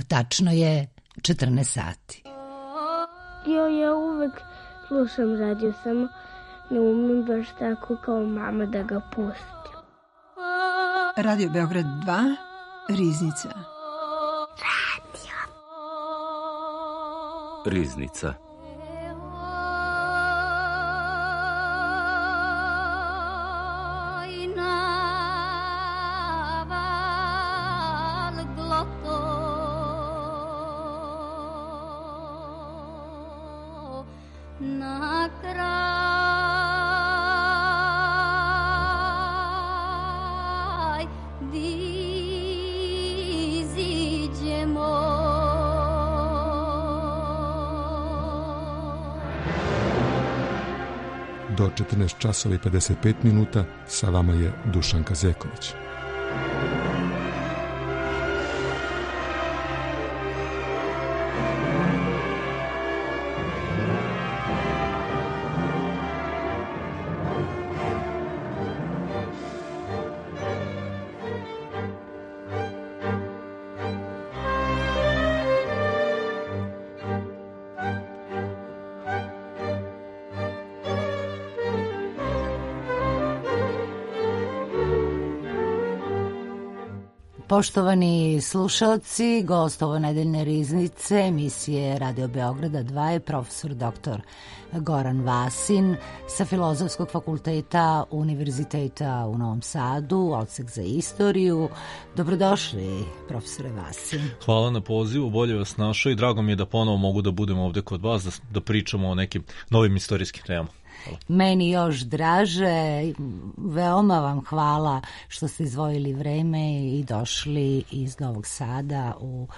Tačno je 14 sati. Ja uvek slušam radio, samo ne umem baš tako kao mama da ga pustim. Radio Beograd 2, Riznica. Riznica. Do 14 časova i 55 minuta sa vama je Dušanka Zeković. Poštovani slušalci, gost ovo nedeljne riznice emisije Radio Beograda 2 je profesor dr. Goran Vasin sa Filozofskog fakulteta Univerziteta u Novom Sadu, odsek za istoriju. Dobrodošli, profesore Vasin. Hvala na pozivu, bolje vas našao i drago mi je da ponovo mogu da budem ovde kod vas, da pričamo o nekim novim istorijskim temama. Hvala. Meni još draže, veoma vam hvala što ste izdvojili vreme i došli iz Novog Sada u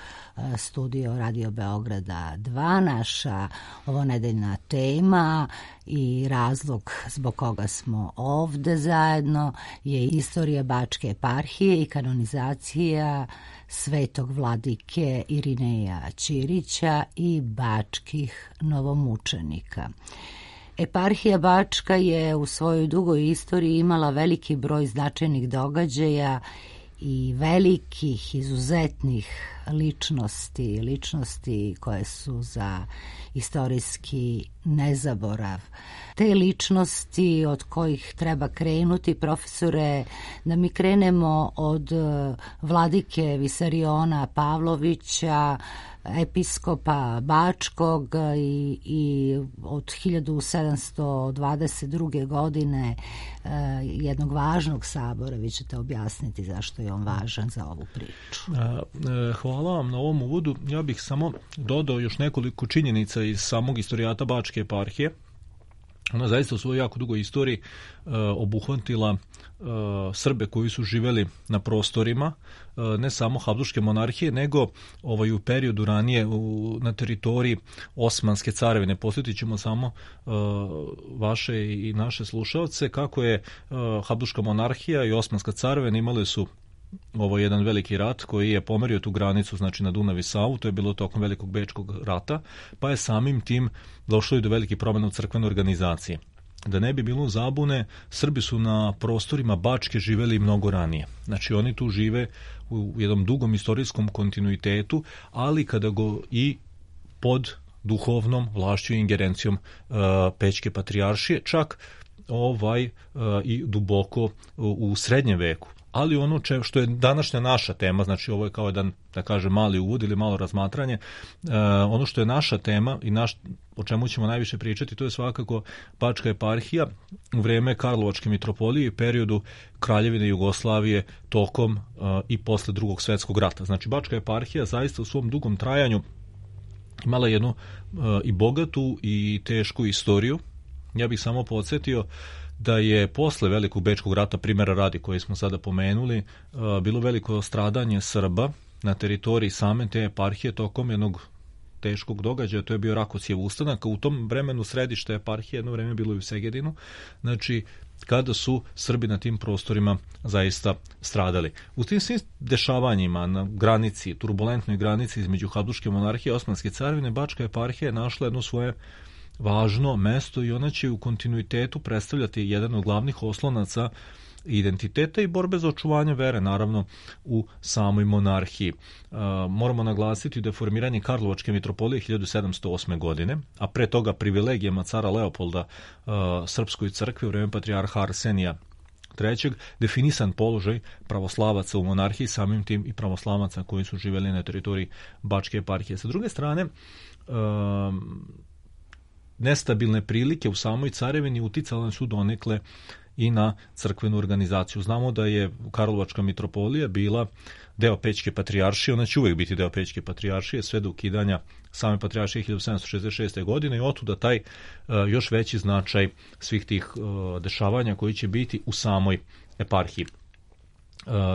studio Radio Beograda 2. Naša ovo nedeljna tema i razlog zbog koga smo ovde zajedno je istorija Bačke eparhije i kanonizacija svetog vladike Irineja Ćirića i bačkih novomučenika. Eparhija Bačka je u svojoj dugoj istoriji imala veliki broj značajnih događaja i velikih, izuzetnih ličnosti koje su za istorijski nezaborav. Te ličnosti od kojih treba krenuti, profesore, da mi krenemo od vladike Visariona Pavlovića, episkopa Bačkog i od 1722. godine jednog važnog sabora. Vi ćete objasniti zašto je on važan za ovu priču. Hvala vam na ovom uvodu. Ja bih samo dodao još nekoliko činjenica iz samog istorijata Bačke eparhije. Ona zaista u svojoj jako dugoj istoriji obuhvatila Srbe koji su živeli na prostorima ne samo Habsburške monarhije, nego u periodu ranije na teritoriji Osmanske carevine. Posjetit ćemo samo vaše i naše slušalce kako je Habsburška monarhija i Osmanska carevina imali su jedan veliki rat koji je pomerio tu granicu, znači na Dunav i Savu, to je bilo tokom Velikog bečkog rata, pa je samim tim došlo i do velikih promjena u crkvenoj organizaciji. Da ne bi bilo zabune, Srbi su na prostorima Bačke živeli mnogo ranije. Znači oni tu žive u jednom dugom istorijskom kontinuitetu, ali kada go i pod duhovnom vlašću i ingerencijom Pećke patrijaršije, čak i duboko u srednjem veku. Ali ono što je današnja naša tema, znači ovo je kao jedan, da kažem, mali uvod ili malo razmatranje, ono što je naša tema i o čemu ćemo najviše pričati, to je svakako Bačka eparhija u vreme Karlovačke mitropolije i periodu Kraljevine Jugoslavije tokom i posle Drugog svjetskog rata. Znači Bačka eparhija zaista u svom dugom trajanju imala jednu i bogatu i tešku istoriju. Ja bih samo podsjetio da je posle Velikog bečkog rata, primjera radi koji smo sada pomenuli, bilo veliko stradanje Srba na teritoriji same te eparhije tokom jednog teškog događaja, to je bio Rakocijev ustanak. U tom vremenu središte eparhije jedno vreme bilo i u Segedinu, znači kada su Srbi na tim prostorima zaista stradali. U tim svim dešavanjima na granici, turbulentnoj granici između Habsburške monarhije i Osmanske carevine, Bačka eparhija je našla jedno svoje važno mesto i ona će u kontinuitetu predstavljati jedan od glavnih oslonaca identiteta i borbe za očuvanje vere, naravno, u samoj monarhiji. Moramo naglasiti da je formiranje Karlovačke mitropolije 1708. godine, a pre toga privilegijama cara Leopolda Srpskoj crkvi u vreme patrijarha Arsenija III. Definisan položaj pravoslavaca u monarhiji, samim tim i pravoslavaca koji su živjeli na teritoriji Bačke eparhije. Sa druge strane, nestabilne prilike u samoj carevini uticale su donekle i na crkvenu organizaciju. Znamo da je Karlovačka mitropolija bila deo Pećke patrijaršije, ona će uvijek biti deo Pećke patrijaršije sve do ukidanja same patrijaršije 1766. godine i otuda taj još veći značaj svih tih dešavanja koji će biti u samoj eparhiji.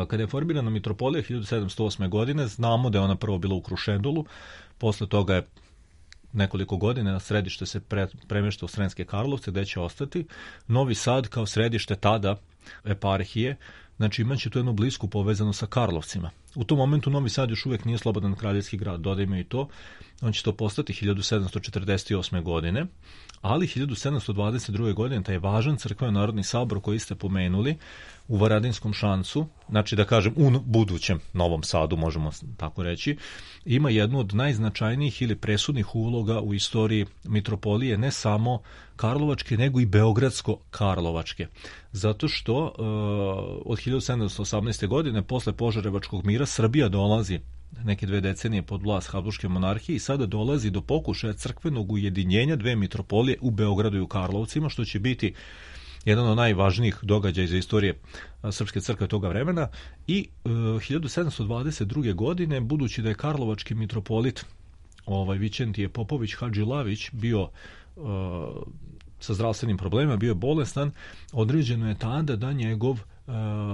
Kada je formirana mitropolija 1708. godine, znamo da je ona prvo bila u Krušendolu, posle toga je nekoliko godina na središte se premješta u Sremske Karlovce, gde će ostati. Novi Sad kao središte tada eparhije, znači imaće tu jednu blisku povezanost sa Karlovcima. U tom momentu Novi Sad još uvijek nije slobodan kraljevski grad, dodajmo i to. On će to postati 1748. godine, ali 1722. godine taj važan crkveno-narodni sabor koji ste pomenuli u Varadinskom šancu, znači da kažem u budućem Novom Sadu, možemo tako reći, ima jednu od najznačajnijih ili presudnih uloga u istoriji mitropolije, ne samo Karlovačke, nego i Beogradsko-Karlovačke. Zato što od 1718. godine, posle Požarevačkog mira, Srbija dolazi neke 2 decenije pod vlast Habsburške monarhije i sada dolazi do pokušaja crkvenog ujedinjenja dve mitropolije u Beogradu i u Karlovcima, što će biti jedan od najvažnijih događaja za istorije Srpske crkve toga vremena. I 1722. godine, budući da je karlovački mitropolit Vićentije Popović Hadžilavić bio sa zdravstvenim problemima, bio je bolestan, određeno je tada da njegov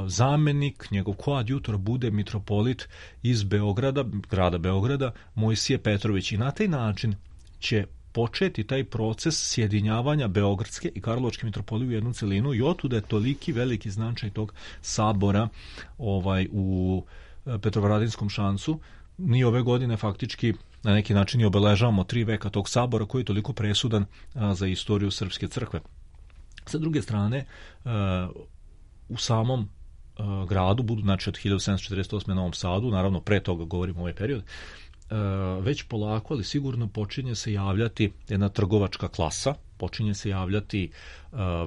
zamenik, njegov koadjutor bude mitropolit iz Beograda, grada Beograda, Mojsije Petrović. I na taj način će početi taj proces sjedinjavanja Beogradske i Karlovačke mitropolije u jednu celinu i otuda je toliki veliki značaj tog sabora u Petrovaradinskom šancu. Mi ove godine faktički na neki način i obeležavamo 3 veka tog sabora koji je toliko presudan za istoriju Srpske crkve. Sa druge strane, u samom gradu, znači od 1748. na Novom Sadu, naravno pre toga govorimo ovaj period, već polako, ali sigurno počinje se javljati jedna trgovačka klasa, počinje se javljati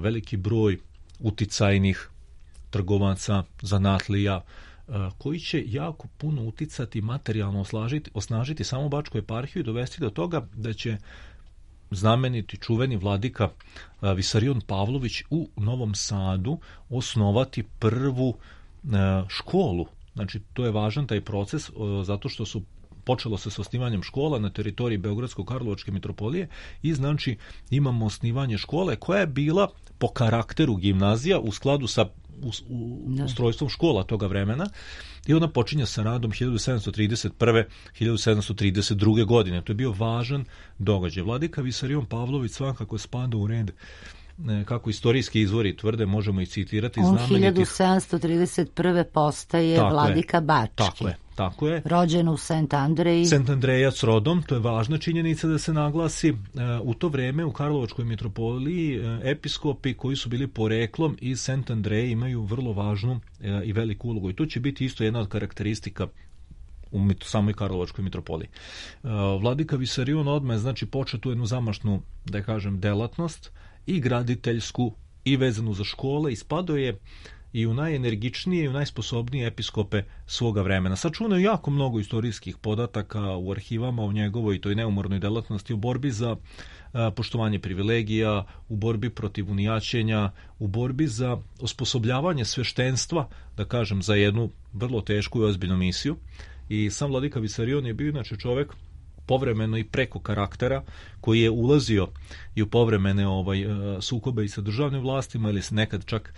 veliki broj uticajnih trgovaca, zanatlija, koji će jako puno uticati, materijalno osnažiti samu Bačku eparhiju i dovesti do toga da će znameniti čuveni vladika Visarion Pavlović u Novom Sadu osnovati prvu školu. Znači, to je važan taj proces zato što su počelo se s osnivanjem škola na teritoriji Beogradsko-Karlovačke mitropolije i znači imamo osnivanje škole koja je bila po karakteru gimnazija u skladu sa ustrojstvom škola toga vremena i ona počinje sa radom 1731. 1732. godine. To je bio važan događaj. Vladika Visarion Pavlović svakako spada u red, kako istorijski izvori tvrde, možemo i citirati. On 1731. postaje vladika Bački. Tako je. Rođen u Sent Andreji. Sent Andrejac rodom, to je važna činjenica da se naglasi. U to vreme u Karlovačkoj mitropoliji episkopi koji su bili poreklom iz Sent Andreje imaju vrlo važnu i veliku ulogu. I to će biti isto jedna od karakteristika u samoj Karlovačkoj mitropoliji. Vladika Visarion odmah znači počeo tu jednu zamašnu, da kažem, delatnost i graditeljsku i vezanu za škole i spadao je i u najenergičnije i u najsposobnije episkope svoga vremena. Sačunaju jako mnogo istorijskih podataka u arhivama o njegovoj toj neumornoj delatnosti, u borbi za poštovanje privilegija, u borbi protiv unijaćenja, u borbi za osposobljavanje sveštenstva, da kažem, za jednu vrlo tešku i ozbiljnu misiju. I sam vladika Visarion je bio inače čovek povremeno i preko karaktera koji je ulazio i u povremene sukobe i sa državnim vlastima ili nekad čak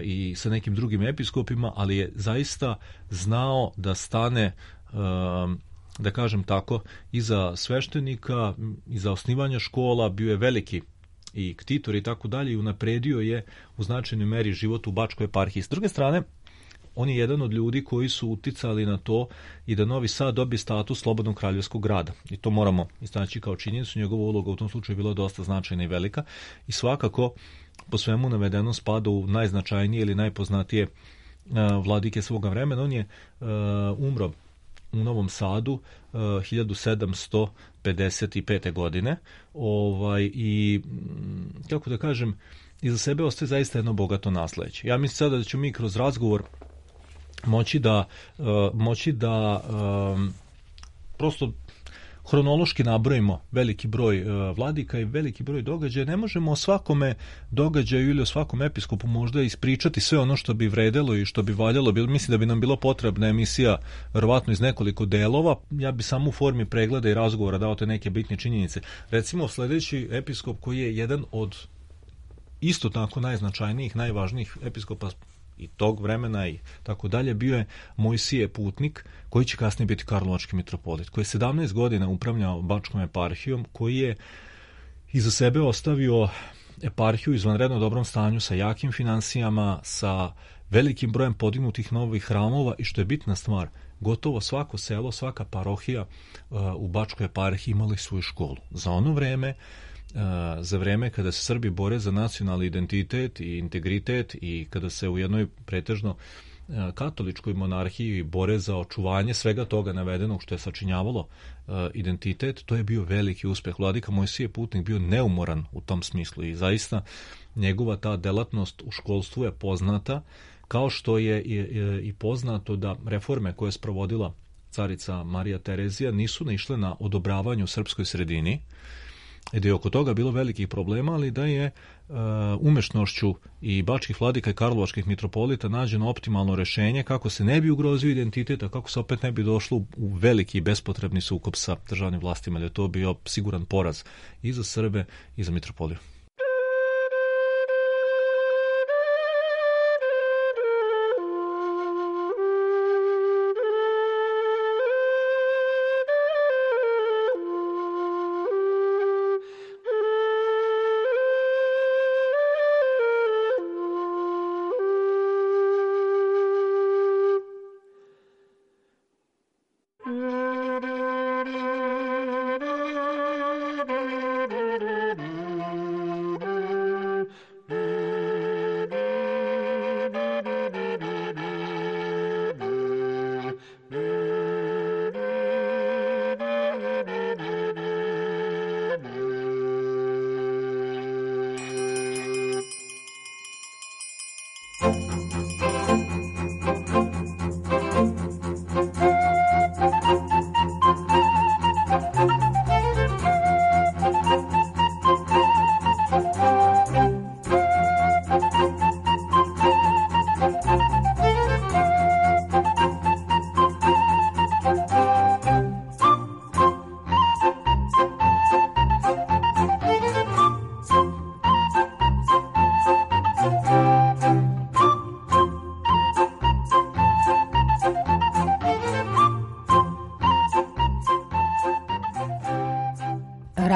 i sa nekim drugim episkopima, ali je zaista znao da stane, da kažem tako, iza sveštenika, iza osnivanja škola, bio je veliki i ktitor i tako dalje i unapredio je u značajnoj meri život u Bačkoj eparhiji. S druge strane, on je jedan od ljudi koji su uticali na to i da Novi Sad dobije status slobodnog kraljevskog grada. I to moramo istaći kao činjenicu. Njegova uloga u tom slučaju je bila dosta značajna i velika. I svakako po svemu navedeno spada u najznačajnije ili najpoznatije vladike svoga vremena. On je umro u Novom Sadu 1755. godine i kako da kažem, iza sebe ostaje zaista jedno bogato nasleđe. Ja mislim sada da ćemo mi kroz razgovor moći da prosto hronološki nabrojimo veliki broj vladika i veliki broj događaja. Ne možemo o svakome događaju ili o svakom episkopu možda ispričati sve ono što bi vredelo i što bi valjalo. Mislim da bi nam bila potrebna emisija verovatno iz nekoliko delova. Ja bi samo u formi pregleda i razgovora dao te neke bitne činjenice. Recimo, sljedeći episkop koji je jedan od isto tako najznačajnijih, najvažnijih episkopa i tog vremena i tako dalje, bio je Mojsije Putnik, koji će kasnije biti karlovački mitropolit, koji je 17 godina upravljao Bačkom eparhijom, koji je iza sebe ostavio eparhiju u izvanredno dobrom stanju, sa jakim finansijama, sa velikim brojem podignutih novih hramova i, što je bitna stvar, gotovo svako selo, svaka parohija u Bačkoj eparhiji imali svoju školu. Za ono vreme, za vreme kada se Srbi bore za nacionalni identitet i integritet i kada se u jednoj pretežno katoličkoj monarhiji bore za očuvanje svega toga navedenog što je sačinjavalo identitet, to je bio veliki uspjeh. Vladika Mojsije Putnik bio neumoran u tom smislu i zaista njegova ta delatnost u školstvu je poznata, kao što je i poznato da reforme koje je sprovodila carica Marija Terezija nisu naišle na odobravanje u srpskoj sredini, i da je oko toga bilo velikih problema, ali da je umešnošću i bačkih vladika i karlovačkih mitropolita nađeno optimalno rešenje kako se ne bi ugrozio identitet, a kako se opet ne bi došlo u veliki i bespotrebni sukob sa državnim vlastima, jer je to bio siguran poraz i za Srbe i za mitropoliju.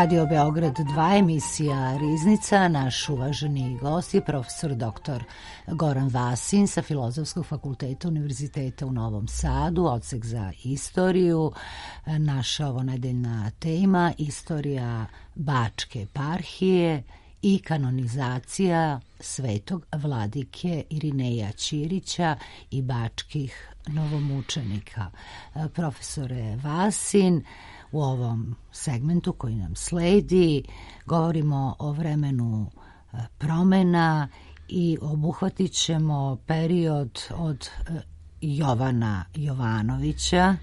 Radio Beograd 2, emisija Riznica. Naš uvaženi gost je profesor dr. Goran Vasin sa Filozofskog fakulteta Univerziteta u Novom Sadu, odsek za istoriju. Naša ovonedeljna tema: istorija Bačke eparhije i kanonizacija svetog vladike Irineja Ćirića i bačkih novomučenika. Profesore Vasin, u ovom segmentu koji nam sledi govorimo o vremenu promena i obuhvatit ćemo period od Jovana Jovanovića,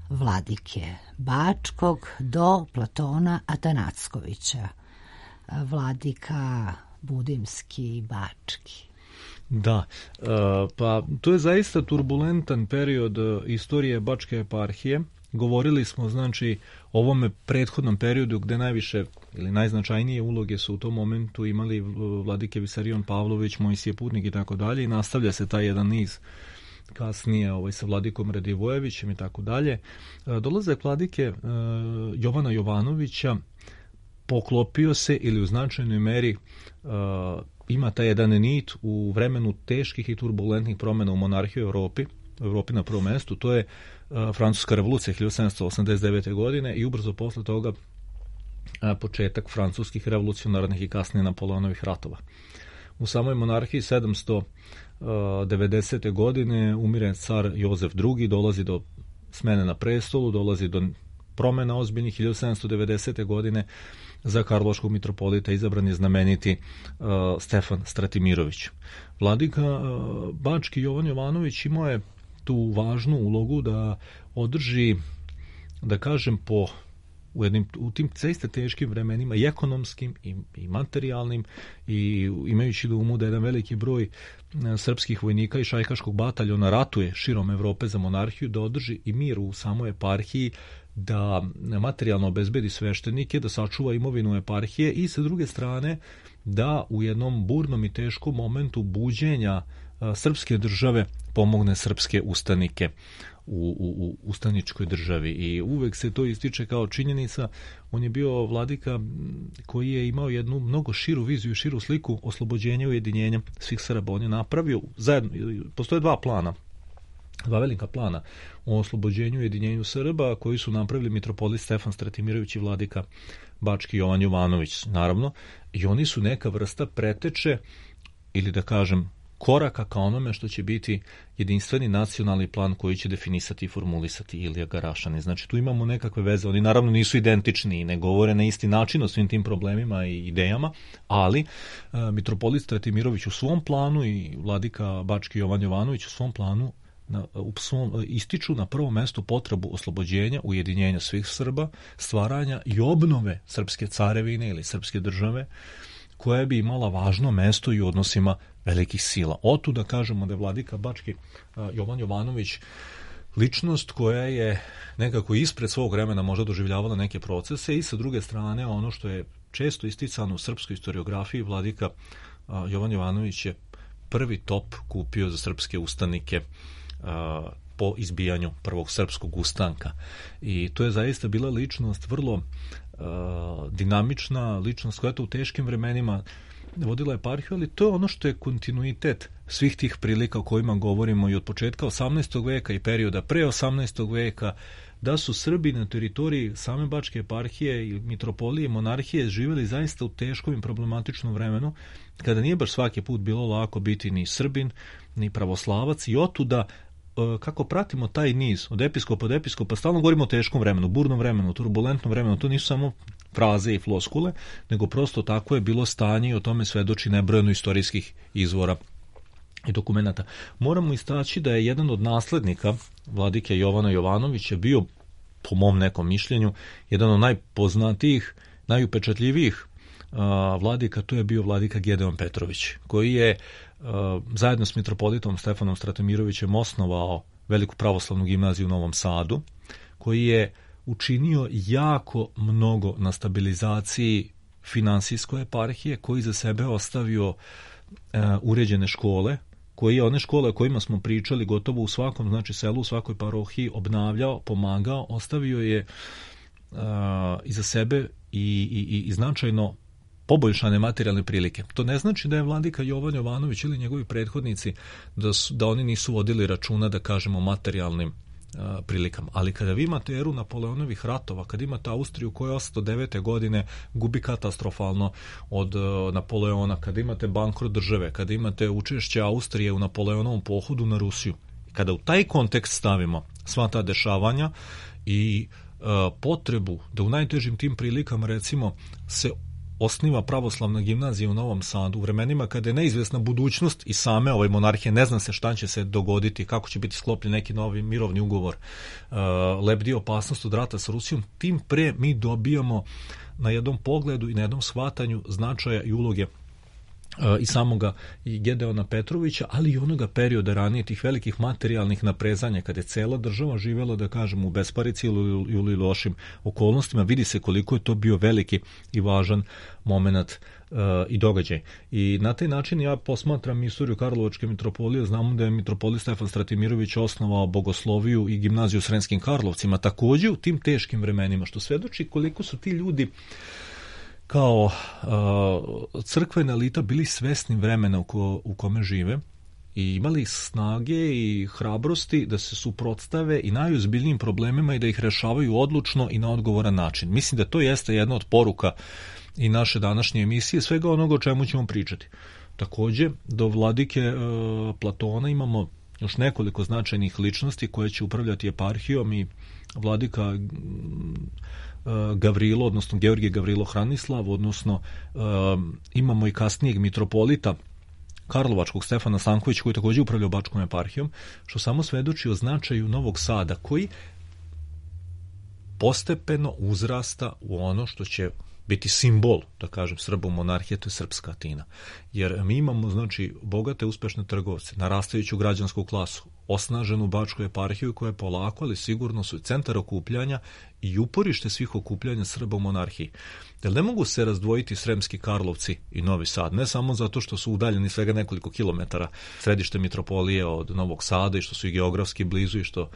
vladike Bačkog, do Platona Atanackovića, vladika Budimski i Bački. Da, pa to je zaista turbulentan period istorije Bačke eparhije. Govorili smo, znači, o ovome prethodnom periodu gde najviše ili najznačajnije uloge su u tom momentu imali vladike Visarion Pavlović, Mojsije Putnik i tako dalje, i nastavlja se taj jedan niz kasnije sa vladikom Radivojevićem i tako dalje. Dolazak vladike Jovana Jovanovića poklopio se ili u značajnoj meri ima taj jedan nit u vremenu teških i turbulentnih promjena u monarhiji u Evropi na prvom mestu. To je Francuska revolucija 1789. godine i ubrzo posle toga početak francuskih revolucionarnih i kasnije Napoleonovih ratova. U samoj monarhiji 790. godine umire car Jozef II, dolazi do smene na prestolu, dolazi do promjena ozbiljnih. 1790. godine za karlovačkog mitropolita izabran je znameniti Stefan Stratimirović. Vladika bački Jovan Jovanović imao je tu važnu ulogu da održi, da kažem, u tim zaista teškim vremenima i ekonomskim i materijalnim, i imajući na umu da jedan veliki broj srpskih vojnika i šajkaškog bataljona ratuje širom Evrope za monarhiju, da održi i mir u samoj eparhiji, da materijalno obezbedi sveštenike, da sačuva imovinu eparhije i sa druge strane da u jednom burnom i teškom momentu buđenja srpske države pomogne srpske ustanike u ustaničkoj državi. I uvek se to ističe kao činjenica. On je bio vladika koji je imao jednu mnogo širu viziju, širu sliku oslobođenja i ujedinjenja svih Srba. On je napravio zajedno, postoje dva velika plana o oslobođenju i ujedinjenju Srba koji su napravili mitropolit Stefan Stratimirović i vladika bački Jovan Jovanović, naravno, i oni su neka vrsta preteče ili da kažem koraka ka onome što će biti jedinstveni nacionalni plan koji će definisati i formulisati Ilija Garašanin. Znači tu imamo nekakve veze, oni naravno nisu identični i ne govore na isti način o svim tim problemima i idejama, ali mitropolit Stratimirović u svom planu i vladika bački Jovan Jovanović u svom planu ističu na prvom mestu potrebu oslobođenja, ujedinjenja svih Srba, stvaranja i obnove srpske carevine ili srpske države, koja bi imala važno mesto i u odnosima velikih sila. Otuda kažemo da je vladika bački Jovan Jovanović ličnost koja je nekako ispred svog vremena možda doživljavala neke procese, i sa druge strane ono što je često isticano u srpskoj historiografiji, vladika Jovan Jovanović je prvi top kupio za srpske ustanike po izbijanju prvog srpskog ustanka. I to je zaista bila ličnost vrlo dinamična, ličnost koja je to u teškim vremenima vodila eparhiju, ali to je ono što je kontinuitet svih tih prilika o kojima govorimo i od početka 18. veka i perioda pre 18. veka, da su Srbi na teritoriji same bačke eparhije i mitropolije i monarhije živjeli zaista u teškom i problematičnom vremenu, kada nije baš svaki put bilo lako biti ni Srbin, ni pravoslavac, i otuda kako pratimo taj niz od episkopa do episkopa, stalno govorimo o teškom vremenu, burnom vremenu, turbulentnom vremenu. To nisu samo fraze i floskule, nego prosto tako je bilo stanje i o tome svedoči nebrojeno istorijskih izvora i dokumenata. Moramo istaći da je jedan od naslednika vladike Jovana Jovanovića bio, po mom nekom mišljenju, jedan od najpoznatijih, najupečatljivijih vladika, to je bio vladika Gedeon Petrović, koji je zajedno s mitropolitom Stefanom Stratimirovićem osnovao veliku pravoslavnu gimnaziju u Novom Sadu, koji je učinio jako mnogo na stabilizaciji finansijske eparhije, koji za sebe ostavio uređene škole, koji je one škole o kojima smo pričali gotovo u svakom, znači selu, u svakoj parohiji obnavljao, pomagao, ostavio je iza sebe i značajno poboljšane materijalne prilike. To ne znači da je vladika Jovan Jovanović ili njegovi prethodnici da oni nisu vodili računa, da kažemo, materijalnim prilikama. Ali kada vi imate eru Napoleonovih ratova, kada imate Austriju koja 809. godine gubi katastrofalno od Napoleona, kada imate bankrot države, kada imate učešće Austrije u Napoleonovom pohodu na Rusiju, kada u taj kontekst stavimo sva ta dešavanja i potrebu da u najtežim tim prilikama, recimo, se osniva pravoslavna gimnazija u Novom Sadu u vremenima kada je neizvjesna budućnost i same ove monarhije, ne zna se šta će se dogoditi, kako će biti sklopljen neki novi mirovni ugovor, lebdi opasnost od rata sa Rusijom, tim pre mi dobijamo na jednom pogledu i na jednom shvatanju značaja i uloge i samoga i Gedeona Petrovića, ali i onoga perioda ranije, tih velikih materijalnih naprezanja, kada je cela država živjela, da kažem, u besparici ili lošim okolnostima. Vidi se koliko je to bio veliki i važan moment i događaj. I na taj način ja posmatram istoriju Karlovačke mitropolije. Znamo da je mitropolit Stefan Stratimirović osnovao bogosloviju i gimnaziju u Sremskim Karlovcima, također u tim teškim vremenima, što svedoči koliko su ti ljudi kao crkvena elita bili svesni vremena u kome žive i imali snage i hrabrosti da se suprotstave i najozbiljnijim problemima i da ih rešavaju odlučno i na odgovoran način. Mislim da to jeste jedna od poruka i naše današnje emisije, svega onoga o čemu ćemo pričati. Takođe, do vladike Platona imamo još nekoliko značajnih ličnosti koje će upravljati eparhijom i vladika Gavrilo, odnosno Georgije Gavrilo Hranislav, odnosno imamo i kasnijeg mitropolita Karlovačkog Stefana Stankovića koji takođe upravlja Bačkom eparhijom, što samo svedoči o značaju Novog Sada koji postepeno uzrasta u ono što će biti simbol, da kažem, Srba u monarhije, to je srpska Atina. Jer mi imamo, znači, bogate, uspešne trgovce, narastajuću građansku klasu, osnaženu Bačku eparhiju koja je polako, ali sigurno su centar okupljanja i uporište svih okupljanja Srba u monarhiji. Jer ne mogu se razdvojiti Sremski Karlovci i Novi Sad, ne samo zato što su udaljeni svega nekoliko kilometara središte mitropolije od Novog Sada i što su i geografski blizu i što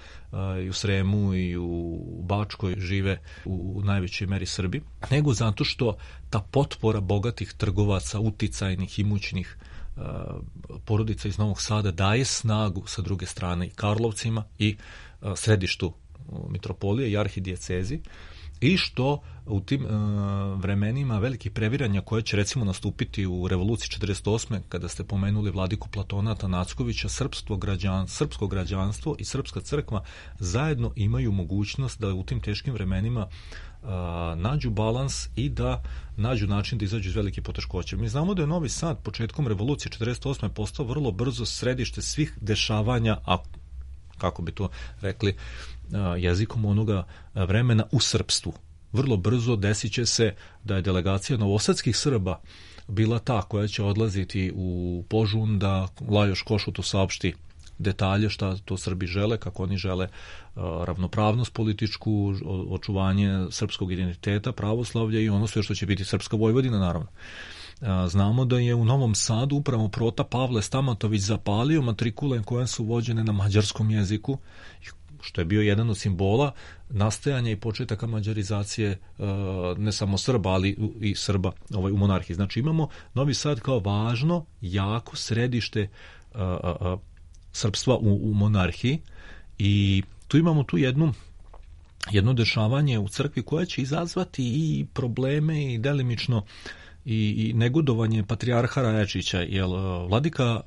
i u Sremu i u Bačkoj žive u najvećoj meri Srbi, nego zato što ta potpora bogatih trgovaca, uticajnih, imućnih porodica iz Novog Sada daje snagu sa druge strane i Karlovcima i središtu mitropolije i arhidijecezi, i što u tim vremenima velikih previranja koje će recimo nastupiti u revoluciji 48. kada ste pomenuli vladiku Platona Atanackovića, srpsko građanstvo i srpska crkva zajedno imaju mogućnost da u tim teškim vremenima nađu balans i da nađu način da izađu iz velike poteškoće. Mi znamo da je Novi Sad početkom revolucije 48. postao vrlo brzo središte svih dešavanja, a kako bi to rekli jezikom onoga vremena, u srpstvu. Vrlo brzo desit će se da je delegacija novosadskih Srba bila ta koja će odlaziti u Požun da Lajoš Košutu saopšti detalje šta to Srbi žele, kako oni žele ravnopravnost političku, očuvanje srpskog identiteta, pravoslavlja i ono sve što će biti srpska Vojvodina, naravno. Znamo da je u Novom Sadu upravo prota Pavle Stamatović zapalio matrikule koje su vođene na mađarskom jeziku, što je bio jedan od simbola nastajanja i početaka mađarizacije ne samo Srba, ali i Srba u monarhiji. Znači imamo Novi Sad kao važno, jako središte srpstva u monarhiji i tu imamo jedno dešavanje u crkvi koja će izazvati i probleme i delimično i negodovanje patrijarha Rajačića, jer vladika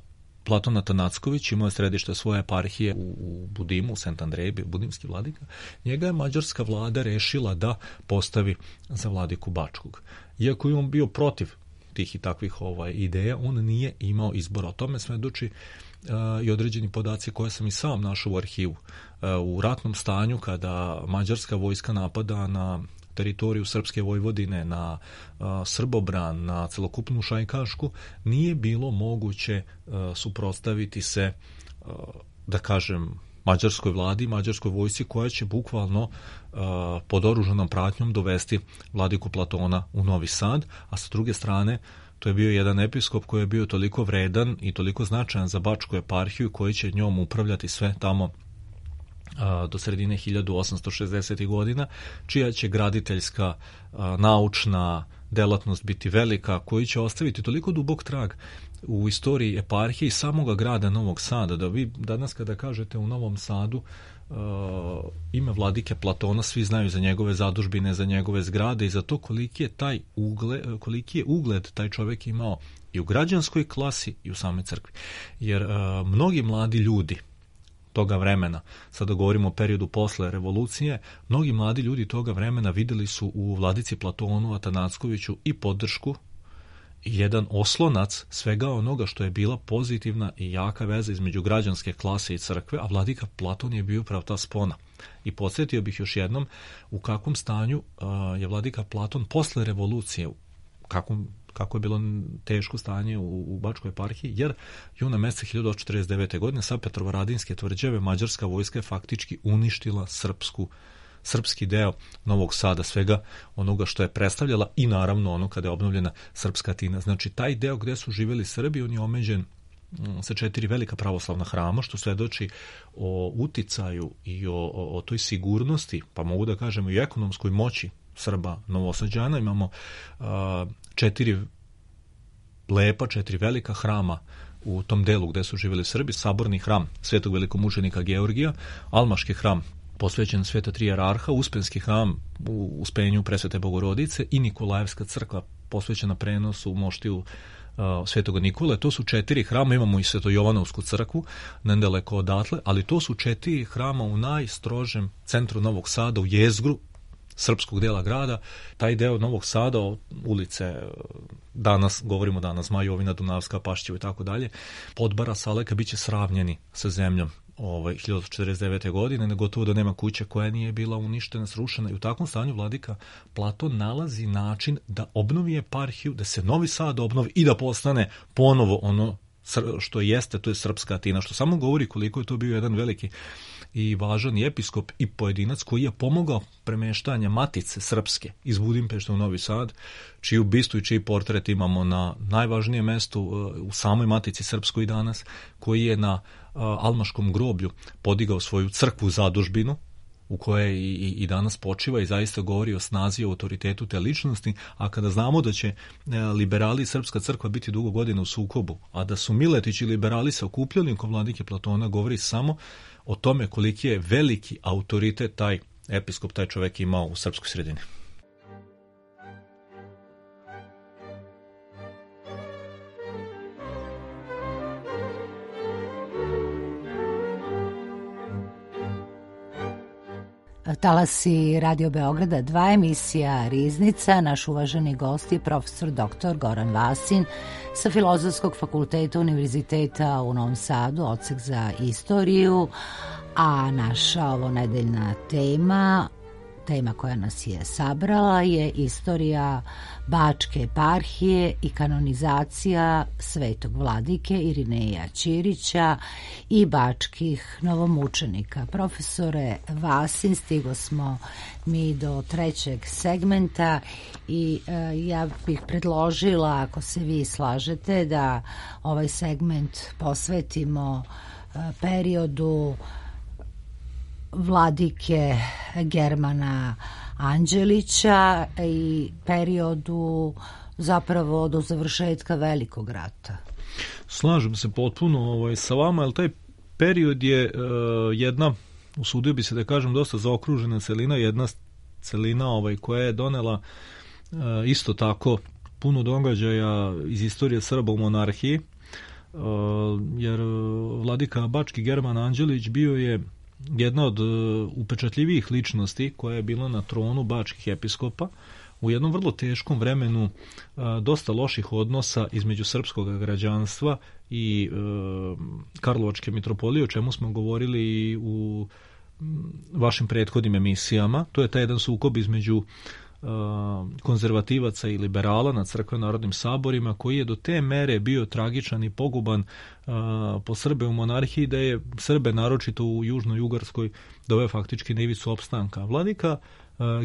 Platon Atanacković imao je središte svoje eparhije u Budimu, u Sent Andreji, budimski vladika. Njega je mađarska vlada rešila da postavi za vladiku Bačkog. Iako je on bio protiv tih i takvih ideja, on nije imao izbora. O tome svedoči i određeni podaci koje sam i sam našao u arhivu. U ratnom stanju, kada mađarska vojska napada na teritoriju Srpske Vojvodine, na Srbobran, na celokupnu Šajkašku, nije bilo moguće suprotstaviti se, da kažem, mađarskoj vladi, mađarskoj vojsci koja će bukvalno pod oružanom pratnjom dovesti vladiku Platona u Novi Sad, a sa druge strane to je bio jedan episkop koji je bio toliko vredan i toliko značajan za Bačku eparhiju koji će njom upravljati sve tamo do sredine 1860. godina, čija će graditeljska, naučna delatnost biti velika, koji će ostaviti toliko dubok trag u istoriji eparhije i samoga grada Novog Sada, da vi danas kada kažete u Novom Sadu ime vladike Platona, svi znaju za njegove zadužbine, za njegove zgrade i za to koliki je ugled taj čovjek imao i u građanskoj klasi i u same crkvi. Jer mnogi mladi ljudi toga vremena, sada govorimo o periodu posle revolucije, mnogi mladi ljudi toga vremena videli su u vladici Platonu Atanackoviću i podršku i jedan oslonac svega onoga što je bila pozitivna i jaka veza između građanske klase i crkve, a vladika Platon je bio upravo ta spona. I podsjetio bih još jednom u kakvom stanju je vladika Platon posle revolucije, kako je bilo teško stanje u Bačkoj eparhiji, jer juna meseca 1849. godine sa Petrovaradinske tvrđave mađarska vojska je faktički uništila srpski deo Novog Sada, svega onoga što je predstavljala i naravno ono kada je obnovljena srpska Atina. Znači taj deo gde su živjeli Srbi, on je omeđen sa 4 velika pravoslavna hrama, što svedoči o uticaju i o toj sigurnosti, pa mogu da kažemo i ekonomskoj moći Srba Novosađana. Imamo 4 velika hrama u tom delu gde su živjeli Srbi, saborni hram svetog velikomučenika Georgija, almaški hram posvećen Sveta Tri jerarha, Uspenski hram u Uspenju Presvete Bogorodice i Nikolajevska crkva posvećena prenosu u moštiju Svetoga Nikole. To su 4 hrama, imamo i Sveto-Jovanovsku crkvu nedaleko odatle, ali to su 4 hrama u najstrožem centru Novog Sada, u jezgru srpskog dela grada. Taj deo Novog Sada, ulice danas, govorimo danas, Majovina, Dunavska, Pašćevo i tako dalje, Podbara, Saleka, bit će sravnjeni sa zemljom 1949. godine, gotovo da nema kuće koja nije bila uništena, srušena, i u takvom stanju vladika Platon nalazi način da obnovi eparhiju, da se Novi Sad obnovi i da postane ponovo ono što jeste, to je srpska Atina, što samo govori koliko je to bio jedan veliki i važan episkop i pojedinac koji je pomogao premeštanje Matice Srpske iz Budimpešte u Novi Sad, čiju bistu i čiji portret imamo na najvažnijem mestu u samoj Matici Srpskoj danas, koji je na almaškom groblju podigao svoju crkvu zadužbinu, u kojoj i danas počiva i zaista govori o snazi i autoritetu te ličnosti. A kada znamo da će liberali i Srpska crkva biti dugo godina u sukobu, a da su Miletić i liberali se okupljali oko vladike Platona, govori samo o tome koliki je veliki autoritet taj episkop, taj čovjek imao u srpskoj sredini. Talasi Radio Beograda 2, emisija Riznica. Naš uvaženi gost je profesor dr. Goran Vasin sa Filozofskog fakulteta Univerziteta u Novom Sadu, odsek za istoriju, a naša ovonedeljna tema koja nas je sabrala je istorija Bačke eparhije i kanonizacija svetog vladike Irineja Ćirića i bačkih novomučenika. Profesore Vasin, stigo smo mi do 3. segmenta i ja bih predložila, ako se vi slažete, da ovaj segment posvetimo periodu vladike Germana Anđelića i periodu zapravo do završetka Velikog rata. Slažem se potpuno sa vama, ali taj period je jedna, usudio bi se da kažem, dosta zaokružena celina, jedna celina koja je donela isto tako puno događaja iz istorije Srba u monarhiji, jer vladika Bački German Anđelić bio je jedna od upečatljivijih ličnosti koja je bila na tronu bačkih episkopa u jednom vrlo teškom vremenu dosta loših odnosa između srpskog građanstva i Karlovačke mitropolije, o čemu smo govorili i u vašim prethodnim emisijama. To je taj jedan sukob između konzervativaca i liberala na crkveno-narodnim saborima, koji je do te mere bio tragičan i poguban po Srbe u monarhiji, da je Srbe, naročito u Južnoj Ugarskoj, doveo faktički na ivicu opstanka. Vladika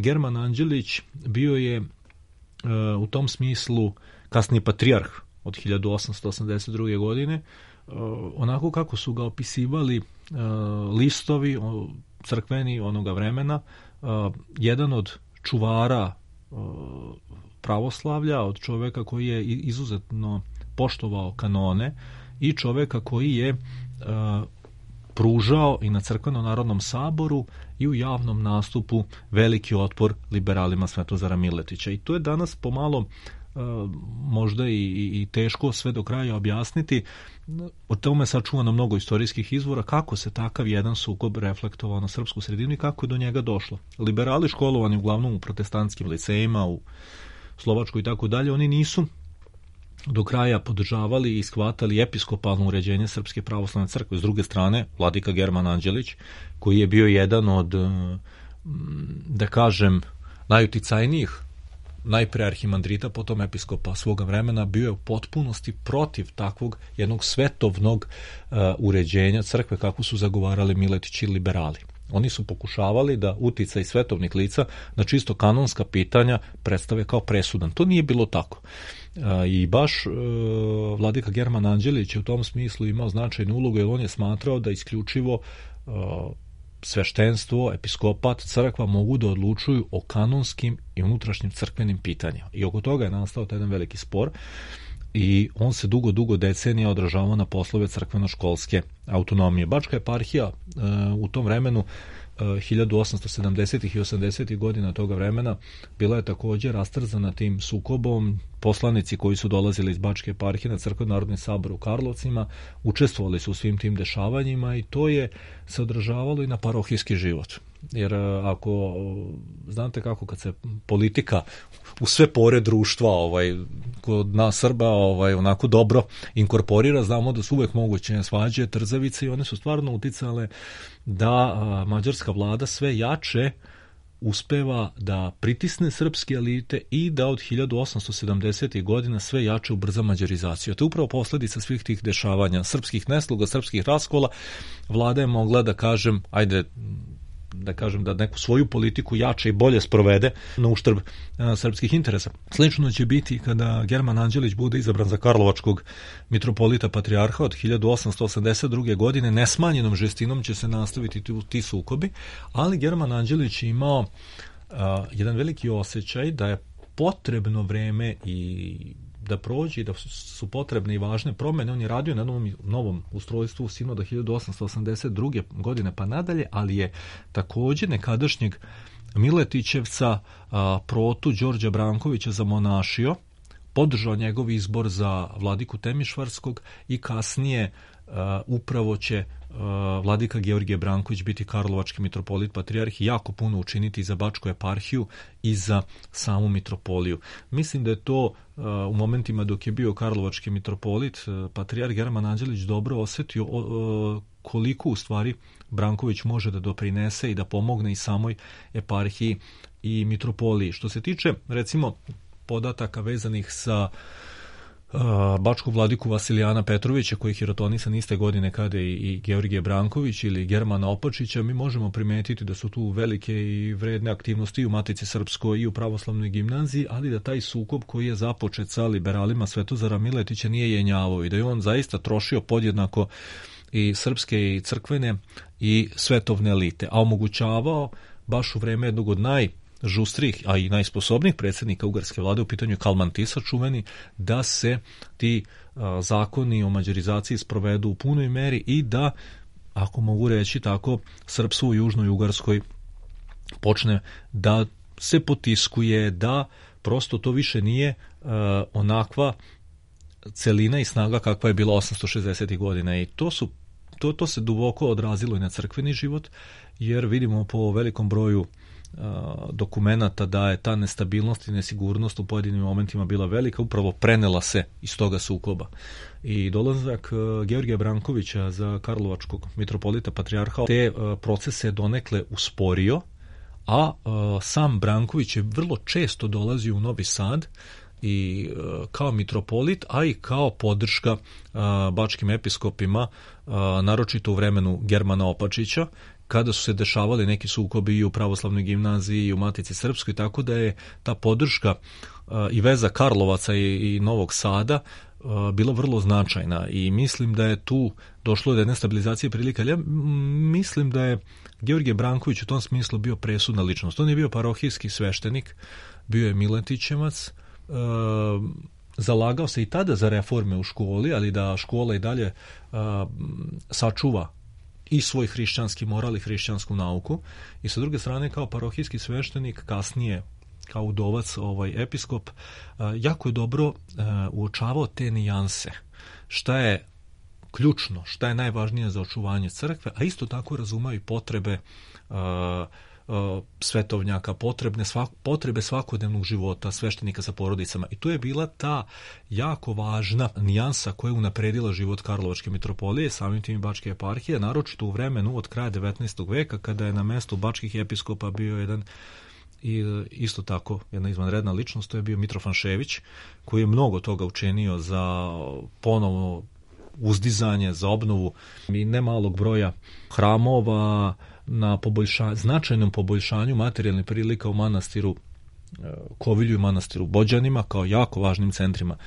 German Anđelić bio je u tom smislu kasniji patrijarh od 1882. godine, onako kako su ga opisivali listovi crkveni onoga vremena, jedan od čuvara pravoslavlja, od čoveka koji je izuzetno poštovao kanone i čoveka koji je pružao i na crkveno-narodnom saboru i u javnom nastupu veliki otpor liberalima Svetozara Miletića. I to je danas pomalo možda i teško sve do kraja objasniti. O tome sačuvano mnogo istorijskih izvora, kako se takav jedan sukob reflektovao na srpsku sredinu i kako je do njega došlo. Liberali školovani uglavnom u protestantskim licejima, u Slovačkoj i tako dalje, oni nisu do kraja podržavali i shvatali episkopalno uređenje Srpske pravoslavne crkve. S druge strane, vladika German Anđelić, koji je bio jedan od, da kažem, najuticajnijih najpre arhimandrita, potom episkopa svoga vremena, bio je u potpunosti protiv takvog jednog svetovnog uređenja crkve kako su zagovarali Miletić i liberali. Oni su pokušavali da uticaj svetovnih lica na čisto kanonska pitanja predstave kao presudan. To nije bilo tako. I baš vladika German Anđelić je u tom smislu imao značajnu ulogu, jer on je smatrao da isključivo sveštenstvo, episkopat, crkva mogu da odlučuju o kanonskim i unutrašnjim crkvenim pitanjima. I oko toga je nastao taj jedan veliki spor. i on se dugo decenija odražavao na poslove crkveno-školske autonomije. Bačka eparhija u tom vremenu 1870. i 80. godina toga vremena bila je također rastrzana tim sukobom. Poslanici koji su dolazili iz Bačke eparhije na Crkveno-narodni sabor u Karlovcima učestvovali su u svim tim dešavanjima i to je se odražavalo i na parohijski život. Jer ako znate kako kad se politika u sve pore društva kod nas Srba onako dobro inkorporira, znamo da su uvek moguće svađe, trzavice i one su stvarno uticale da mađarska vlada sve jače uspeva da pritisne srpske elite i da od 1870. godina sve jače ubrza mađarizaciju. To je upravo posljedica svih tih dešavanja, srpskih nesluga, srpskih raskola. Vlada je mogla da kažem, da neku svoju politiku jače i bolje sprovede na uštrb srpskih interesa. Slično će biti kada German Anđelić bude izabran za karlovačkog mitropolita patrijarha od 1882. godine. Nesmanjenom žestinom će se nastaviti ti sukobi, ali German Anđelić je imao jedan veliki osjećaj da je potrebno vreme i da prođe, da su potrebne i važne promjene. On je radio na novom ustrojstvu sinoda 1882. godine pa nadalje, ali je također nekadašnjeg Miletićevca protu Đorđa Brankovića zamonašio, podržao njegov izbor za vladiku Temišvarskog i kasnije upravo će vladika Georgije Branković biti karlovački mitropolit patrijarh i jako puno učiniti za Bačku eparhiju i za samu mitropoliju. Mislim da je to u momentima dok je bio karlovački mitropolit patrijarh German Anđelić dobro osjetio koliko u stvari Branković može da doprinese i da pomogne i samoj eparhiji i mitropoliji. Što se tiče recimo podataka vezanih sa bačkog vladiku Vasilijana Petrovića, koji je hirotonisan iste godine kada i Georgije Branković ili Germana Opačića, mi možemo primetiti da su tu velike i vredne aktivnosti i u Matici Srpskoj i u pravoslavnoj gimnaziji, ali da taj sukob koji je započet sa liberalima Svetozara Miletića nije jenjavao i da je on zaista trošio podjednako i srpske i crkvene i svetovne elite, a omogućavao baš u vreme jednog od najžustrih, a i najsposobnijih predsjednika ugarske vlade, u pitanju Kalman Tisa čuveni, da se ti zakoni o mađarizaciji sprovedu u punoj meri i da, ako mogu reći tako, srpstvo u Južnoj Ugarskoj počne da se potiskuje, da prosto to više nije onakva celina i snaga kakva je bila 860. godina i to se duboko odrazilo i na crkveni život, jer vidimo po velikom broju dokumenata da je ta nestabilnost i nesigurnost u pojedinim momentima bila velika, upravo prenela se iz toga sukoba. I dolazak Georgija Brankovića za karlovačkog mitropolita patrijarha te procese donekle usporio, a sam Branković je vrlo često dolazio u Novi Sad i kao mitropolit, a i kao podrška bačkim episkopima, naročito u vremenu Germana Opačića, kada su se dešavali neki sukobi i u pravoslavnoj gimnaziji i u Matici Srpskoj, tako da je ta podrška i veza Karlovaca i Novog Sada bila vrlo značajna i mislim da je tu došlo do jedne stabilizacije prilika. Ja mislim da je Georgije Branković u tom smislu bio presudna ličnost. On je bio parohijski sveštenik, bio je Miletićevac, zalagao se i tada za reforme u školi, ali da škola i dalje sačuva i svoj hrišćanski moral i hrišćansku nauku. I sa druge strane, kao parohijski sveštenik, kasnije kao udovac episkop, jako je dobro uočavao te nijanse. Šta je ključno, šta je najvažnije za očuvanje crkve, a isto tako razumaju i potrebe svetovnjaka, potrebe svakodnevnog života sveštenika sa porodicama. I tu je bila ta jako važna nijansa koja je unapredila život karlovačke mitropolije, samim tim i bačke eparhije, naročito u vremenu od kraja 19. veka, kada je na mestu bačkih episkopa bio jedan i isto tako jedna izvanredna ličnost, to je bio Mitrofan Šević, koji je mnogo toga učinio za ponovno uzdizanje, za obnovu i nemalog broja hramova, na značajnom poboljšanju materijalnih prilika u manastiru Kovilju i manastiru Bođanima kao jako važnim centrima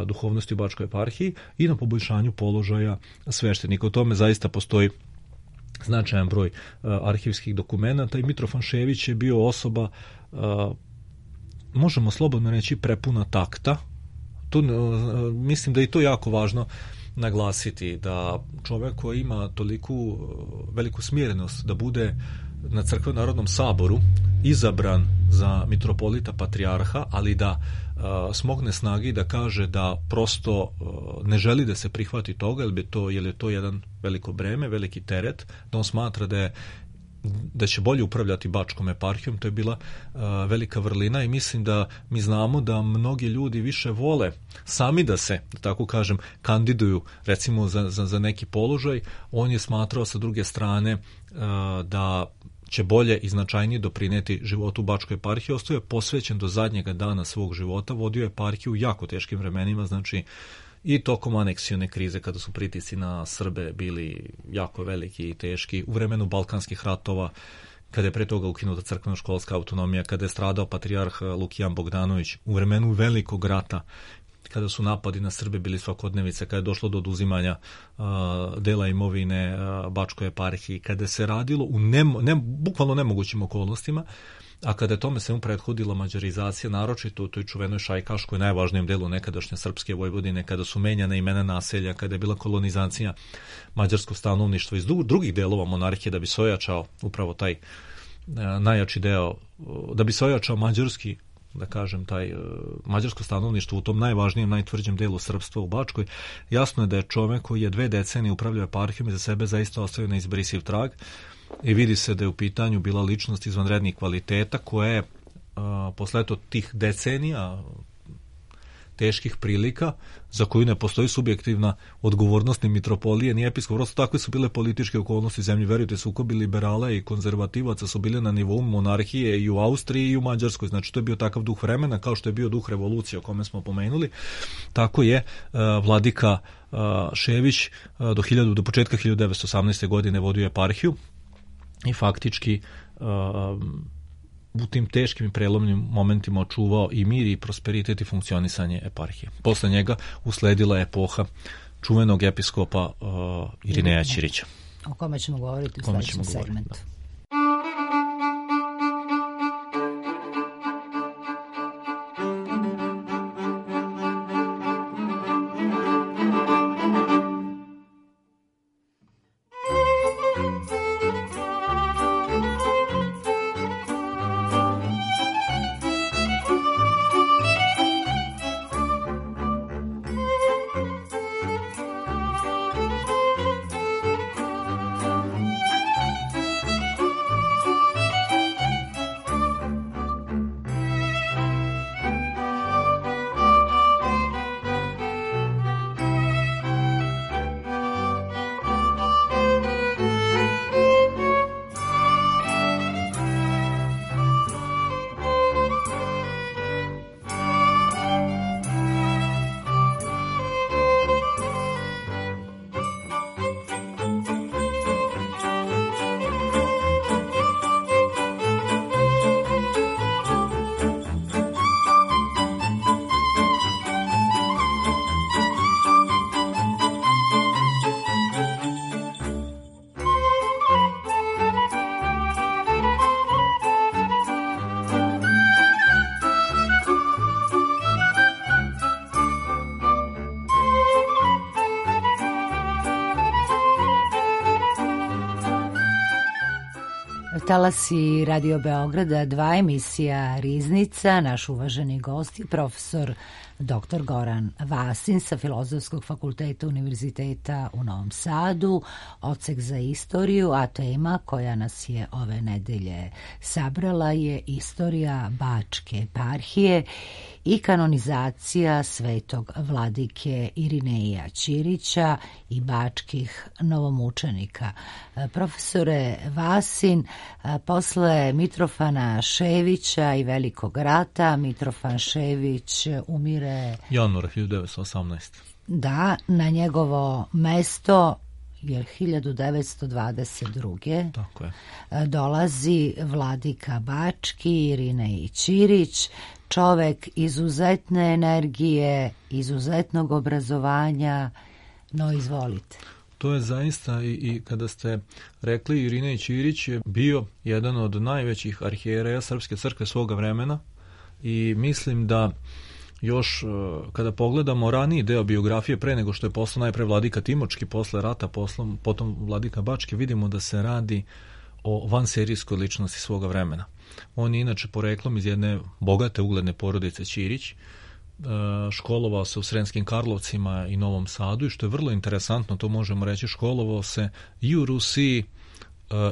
duhovnosti u Bačkoj eparhiji i na poboljšanju položaja sveštenika. O tome zaista postoji značajan broj arhivskih dokumenata i Mitrofan Šević je bio osoba, možemo slobodno reći, prepuna takta, mislim da je to jako važno naglasiti, da čovjek koji ima toliku veliku smjerenost da bude na Crkveno-narodnom saboru izabran za mitropolita patrijarha, ali da smogne snagi da kaže da prosto ne želi da se prihvati toga, jer je to jedan veliko breme, veliki teret, da on smatra da će bolje upravljati Bačkom eparhijom. To je bila velika vrlina i mislim da mi znamo da mnogi ljudi više vole sami da se, da tako kažem, kandiduju recimo za neki položaj. On je smatrao sa druge strane da će bolje i značajnije doprinijeti životu Bačkoj eparhiji. Ostao je posvećen do zadnjega dana svog života, vodio eparhiju u jako teškim vremenima, znači i tokom aneksione krize, kada su pritisci na Srbe bili jako veliki i teški, u vremenu Balkanskih ratova, kada je pre toga ukinuta crkveno-školska autonomija, kada je stradao patrijarh Lukijan Bogdanović, u vremenu Velikog rata, kada su napadi na Srbe bili svakodnevice, kada je došlo do oduzimanja dela imovine Bačkoj eparhiji, kada se radilo u bukvalno nemogućim okolnostima, a kada je tome svemu prethodila mađarizacija, naročito u toj čuvenoj Šajkaškoj, najvažnijem delu nekadašnje srpske Vojvodine, kada su menjana imena naselja, kada je bila kolonizacija mađarskog stanovništva iz drugih delova monarhije, da bi se ojačao upravo taj najjači deo, da bi se ojačao mađarski, da kažem, taj mađarsko stanovništvo u tom najvažnijem, najtvrđem delu srpstva u Bačkoj. Jasno je da je čovjek koji je 2 decenije upravljao eparhijom i za sebe zaista ostavio neizbrisiv trag i vidi se da je u pitanju bila ličnost izvanrednih kvaliteta koja je posle tih decenija teških prilika, za koju ne postoji subjektivna odgovornost ni mitropolije ni episkop, prosto takve su bile političke okolnosti zemlji. Verujte, sukobi liberala i konzervativaca su bile na nivou monarhije i u Austriji i u Mađarskoj, znači to je bio takav duh vremena kao što je bio duh revolucije o kome smo pomenuli. Tako je vladika Šević do početka 1918. godine vodio eparhiju i faktički u tim teškim i prelomnim momentima očuvao i mir i prosperitet i funkcionisanje eparhije. Posle njega usledila je epoha čuvenog episkopa Irineja Ćirića. O kome ćemo govoriti u sljedećem segmentu. Talasi Radio Beograda 2, emisija Riznica. Naš uvaženi gost je profesor dr. Goran Vasin sa Filozofskog fakulteta Univerziteta u Novom Sadu, odsek za istoriju, a tema koja nas je ove nedelje sabrala je istorija Bačke eparhije i kanonizacija svetog vladike Irineja Ćirića i bačkih novomučenika. Profesore Vasin, posle Mitrofana Ševića i Velikog rata, Mitrofan Šević umire januara 1918. Da, na njegovo mesto jer 1922. Tako je. Dolazi vladika Bački Irinej Ćirić, čovek izuzetne energije, izuzetnog obrazovanja, no izvolite. To je zaista i kada ste rekli, Irinej Ćirić je bio jedan od najvećih arhijereja Srpske crkve svoga vremena i mislim da još kada pogledamo raniji deo biografije pre nego što je postao najpre vladika Timočki, posle rata, potom vladika Bačke, vidimo da se radi o vanserijskoj ličnosti svoga vremena. On je inače poreklom iz jedne bogate ugledne porodice Ćirić, školovao se u Sremskim Karlovcima i Novom Sadu i što je vrlo interesantno, to možemo reći, školovao se i u Rusiji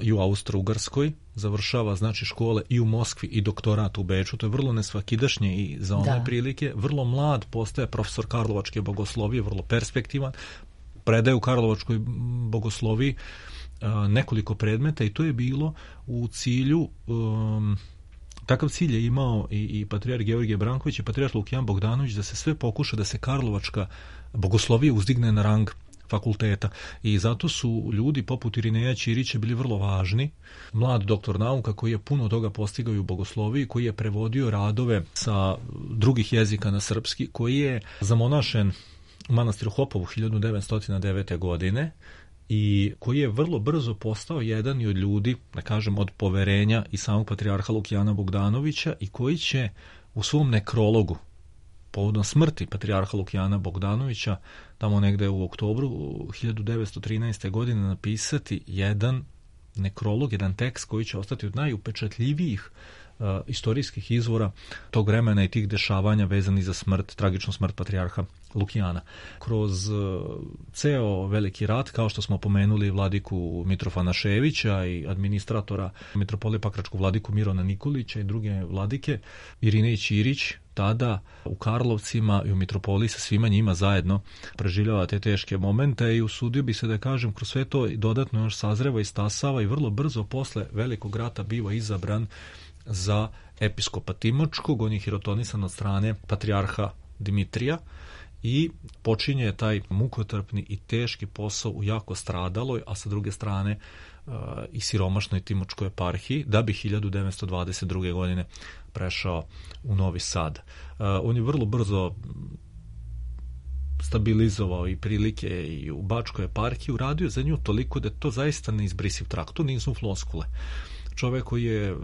i u Austro-Ugarskoj, završava znači škole i u Moskvi i doktorat u Beču, to je vrlo nesvakidašnje i za one prilike, vrlo mlad postaje profesor karlovačke bogoslovije, vrlo perspektivan, predaje u karlovačkoj bogosloviji nekoliko predmeta i to je bilo u cilju, takav cilj je imao i patrijarh Georgije Branković i patrijarh Lukijan Bogdanović, da se sve pokuša da se karlovačka bogoslovija uzdigne na rang fakulteta i zato su ljudi poput Irineja Ćirića bili vrlo važni. Mlad doktor nauka koji je puno toga postigao i u bogosloviji, koji je prevodio radove sa drugih jezika na srpski, koji je zamonašen u manastiru Hopovu 1909. godine i koji je vrlo brzo postao jedan i od ljudi, da kažem, od poverenja i samog patrijarha Lukijana Bogdanovića i koji će u svom nekrologu povodom smrti patrijarha Lukijana Bogdanovića tamo negde u oktobru 1913. godine napisati jedan nekrolog, jedan tekst koji će ostati od najupečatljivijih istorijskih izvora tog vremena i tih dešavanja vezanih za smrt, tragičnu smrt patrijarha Lukijana. Kroz ceo veliki rat, kao što smo pomenuli vladiku Mitrofana Ševića i administratora mitropolije Pakračkog vladiku Mirona Nikolića i druge vladike, Irinej Ćirić tada u Karlovcima i u mitropoliji sa svima njima zajedno preživljava te teške momente i usudio bi se da kažem kroz sve to dodatno još sazreva i stasava i vrlo brzo posle velikog rata biva izabran za episkopa Timočkog, on je hirotonisan od strane patrijarha Dimitrija i počinje taj mukotrpni i teški posao u jako stradaloj, a sa druge strane i siromašnoj Timočkoj eparhiji, da bi 1922. godine prešao u Novi Sad. On je vrlo brzo stabilizovao i prilike i u Bačkoj eparhiji, uradio za nju toliko da je to zaista neizbrisiv trag, to nisu floskule. Čovjek koji je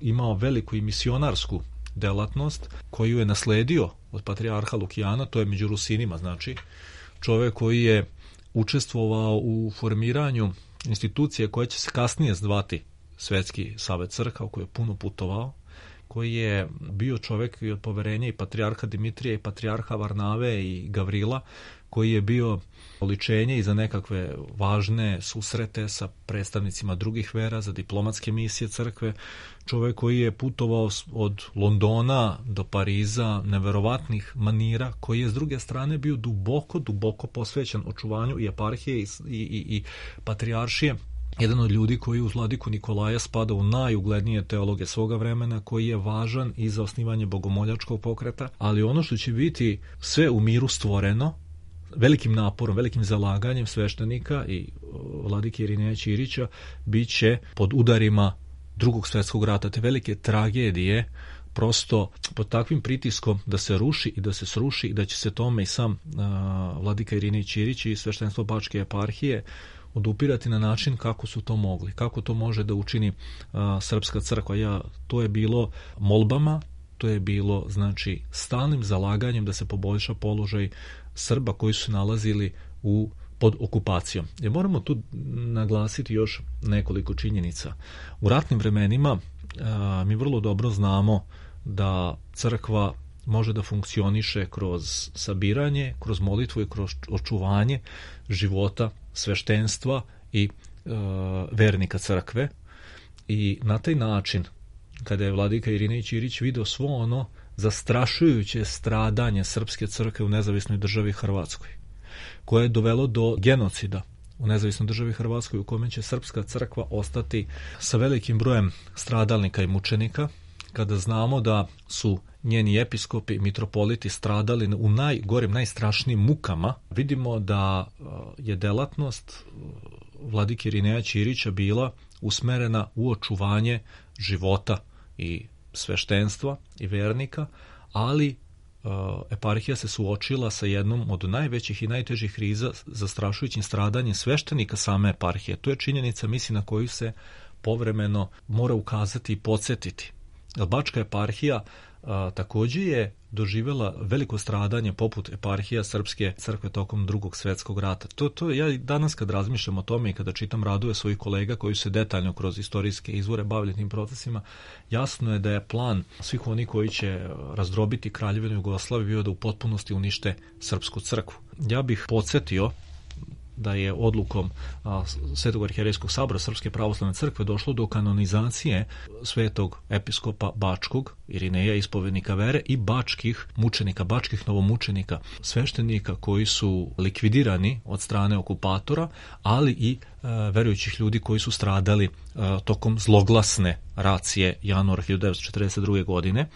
imao veliku i misionarsku delatnost, koju je nasledio od patrijarha Lukijana, to je među Rusinima, znači čovjek koji je učestvovao u formiranju institucije koje će se kasnije zvati Svetski savet crkava, koji je puno putovao, koji je bio čovjek i od poverenja i patrijarha Dimitrija i patrijarha Varnave i Gavrila, koji je bio oličenje i za nekakve važne susrete sa predstavnicima drugih vera, za diplomatske misije crkve, čovjek koji je putovao od Londona do Pariza, neverovatnih manira, koji je s druge strane bio duboko posvećen očuvanju i eparhije i patrijaršije. Jedan od ljudi koji uz vladiku Nikolaja spada u najuglednije teologe svoga vremena, koji je važan i za osnivanje bogomoljačkog pokreta, ali ono što će biti sve u miru stvoreno, velikim naporom, velikim zalaganjem sveštenika i vladike Irineja Ćirića, bit će pod udarima Drugog svjetskog rata, te velike tragedije, prosto pod takvim pritiskom da se ruši i da se sruši i da će se tome i sam vladika Irinej Ćirić i sveštenstvo Bačke eparhije odupirati na način kako su to mogli, kako to može da učini srpska crkva. To je bilo molbama, to je bilo znači stalnim zalaganjem da se poboljša položaj Srba koji su nalazili pod okupacijom. Jer moramo tu naglasiti još nekoliko činjenica. U ratnim vremenima mi vrlo dobro znamo da crkva može da funkcioniše kroz sabiranje, kroz molitvu i kroz očuvanje života sveštenstva i vernika crkve. I na taj način, kada je vladika Irinej Ćirić video svo ono zastrašujuće stradanje srpske crkve u nezavisnoj državi Hrvatskoj, koje je dovelo do genocida u nezavisnoj državi Hrvatskoj, u kome će srpska crkva ostati sa velikim brojem stradalnika i mučenika, kada znamo da su njeni episkopi, mitropoliti stradali u najgorim, najstrašnijim mukama, vidimo da je delatnost vladike Irineja Ćirića bila usmerena u očuvanje života i sveštenstva i vernika, ali eparhija se suočila sa jednom od najvećih i najtežih kriza, zastrašujućim stradanjem sveštenika same eparhije. To je činjenica, mislim, na koju se povremeno mora ukazati i podsjetiti. Bačka eparhija također je doživjela veliko stradanje poput eparhija Srpske crkve tokom Drugog svjetskog rata. To ja danas kad razmišljam o tome i kada čitam radove svojih kolega koji su se detaljno kroz istorijske izvore bavili tim procesima, jasno je da je plan svih oni koji će razdrobiti Kraljevinu Jugoslaviju bio da u potpunosti unište Srpsku crkvu. Ja bih podsjetio da je odlukom Svetog arhijerejskog sabora Srpske pravoslavne crkve došlo do kanonizacije svetog episkopa Bačkog, Irineja, ispovednika vere, i bačkih mučenika, bačkih novomučenika, sveštenika koji su likvidirani od strane okupatora, ali i verujućih ljudi koji su stradali tokom zloglasne racije januara 1942. godine.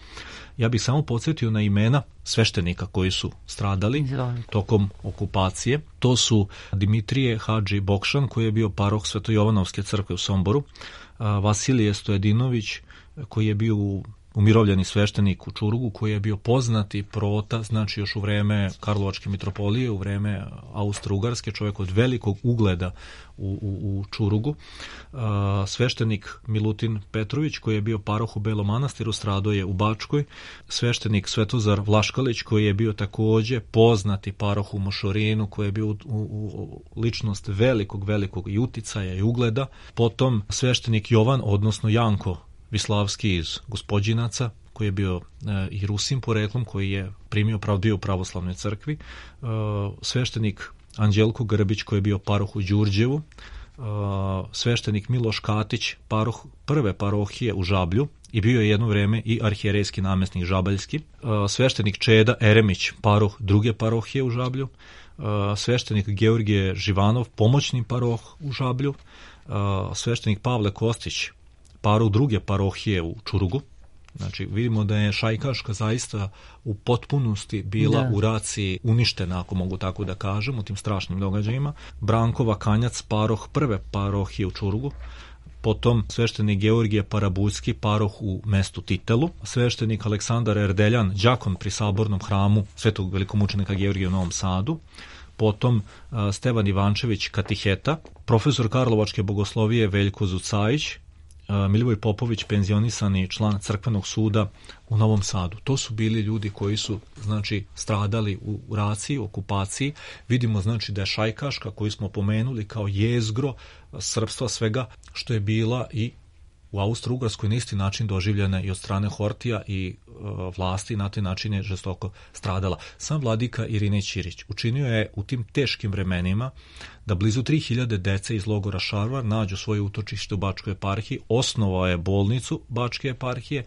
Ja bih samo podsjetio na imena sveštenika koji su stradali tokom okupacije. To su Dimitrije Hadži Bokšan, koji je bio paroh Svetojovanovske crkve u Somboru, Vasilije Stojedinović, koji je bio umirovljeni sveštenik u Čurugu, koji je bio poznati prota, znači još u vreme Karlovačke mitropolije, u vreme Austro-Ugarske, čovjek od velikog ugleda u Čurugu. Sveštenik Milutin Petrović, koji je bio paroh u Belom Manastiru, stradao je u Bačkoj. Sveštenik Svetozar Vlaškalić, koji je bio također poznati paroh u Mošorinu, koji je bio u ličnost velikog i uticaja i ugleda. Potom sveštenik Jovan, odnosno Janko Vislavski iz Gospođinaca, koji je bio i Rusin poreklom, koji je bio u pravoslavnoj crkvi. Sveštenik Anđelko Grbić, koji je bio paroh u Đurđevu. Sveštenik Miloš Katić, paroh prve parohije u Žablju i bio je jedno vrijeme i arhijerejski namjesnik žabaljski. Sveštenik Čeda Eremić, paroh druge parohije u Žablju. Sveštenik Georgije Živanov, pomoćni paroh u Žablju. Sveštenik Pavle Kostić, paroh druge parohije u Čurugu. Znači, vidimo da je šajkaška zaista u potpunosti bila u raciji uništena, ako mogu tako da kažem, u tim strašnim događajima. Branko Vakanjac, paroh prve parohije u Čurugu. Potom sveštenik Georgije Parabuljski, paroh u mestu Titelu. Sveštenik Aleksandar Erdeljan, đakon pri sabornom hramu svetog velikomučenika Georgija u Novom Sadu. Potom Stevan Ivančević, katiheta. Profesor Karlovačke bogoslovije Veljko Zucajić. Milivoj Popović, penzionisani član crkvenog suda u Novom Sadu. To su bili ljudi koji su, znači, stradali u raciji, okupaciji. Vidimo, znači, da je šajkaška, koju smo pomenuli kao jezgro srpstva, svega što je bila i u Austro-Ugarskoj na isti način doživljena i od strane Hortija i vlasti, na taj način je žestoko stradala. Sam vladika Irinej Ćirić učinio je u tim teškim vremenima da blizu 3000 dece iz logora Šarvar nađu svoje utočište u Bačkoj eparhiji, osnovao je bolnicu Bačke eparhije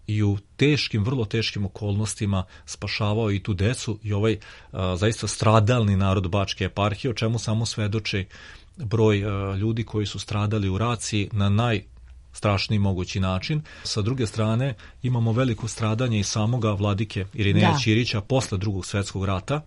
i u teškim, vrlo teškim okolnostima spašavao i tu decu i ovaj zaista stradalni narod Bačke eparhije, o čemu samo svedoči broj ljudi koji su stradali u raciji na najstrašniji mogući način. Sa druge strane, imamo veliko stradanje i samoga vladike Irineja Ćirića posle Drugog svjetskog rata,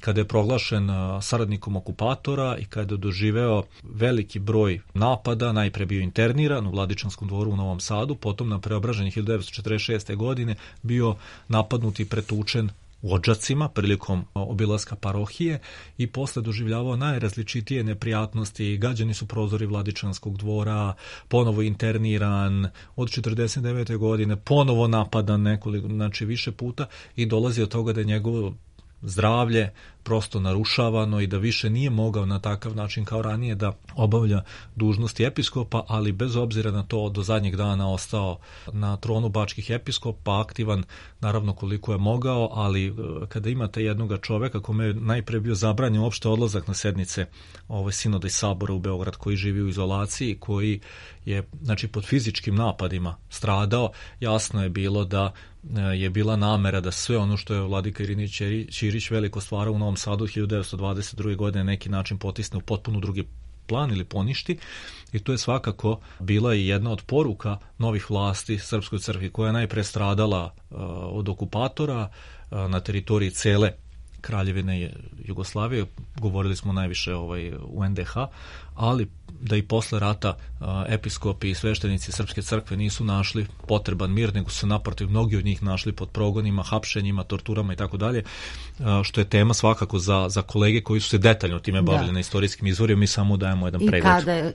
kada je proglašen saradnikom okupatora i kada je doživeo veliki broj napada, najpre bio interniran u Vladičanskom dvoru u Novom Sadu, potom na Preobraženju 1946. godine bio napadnut i pretučen u Odžacima prilikom obilaska parohije i posle doživljavao najrazličitije neprijatnosti. Gađani su prozori Vladičanskog dvora, ponovo interniran, od 1949. godine ponovo napadan nekoliko, znači više puta, i dolazi od toga da je njegovo zdravlje prosto narušavano i da više nije mogao na takav način kao ranije da obavlja dužnosti episkopa, ali bez obzira na to do zadnjeg dana ostao na tronu bačkih episkopa, aktivan naravno koliko je mogao, ali kada imate jednoga čoveka kome je najpre bio zabranjen uopšte odlazak na sednice sinoda i sabora u Beograd, koji živi u izolaciji, koji je, znači, pod fizičkim napadima stradao, jasno je bilo da je bila namera da sve ono što je vladika Irinej Ćirić veliko stvarao u Novom Sadu 1922. godine neki način potisne u potpuno drugi plan ili poništi, i to je svakako bila i jedna od poruka novih vlasti Srpskoj crkvi, koja je najpre stradala od okupatora na teritoriji cele Kraljevine Jugoslavije, govorili smo najviše u NDH, ali da i posle rata episkopi i sveštenici Srpske crkve nisu našli potreban mir, nego su naprotiv mnogi od njih našli pod progonima, hapšenjima, torturama i tako dalje, što je tema svakako za kolege koji su se detaljno time bavili na istorijskim izvorima. Mi samo dajemo jedan pregled.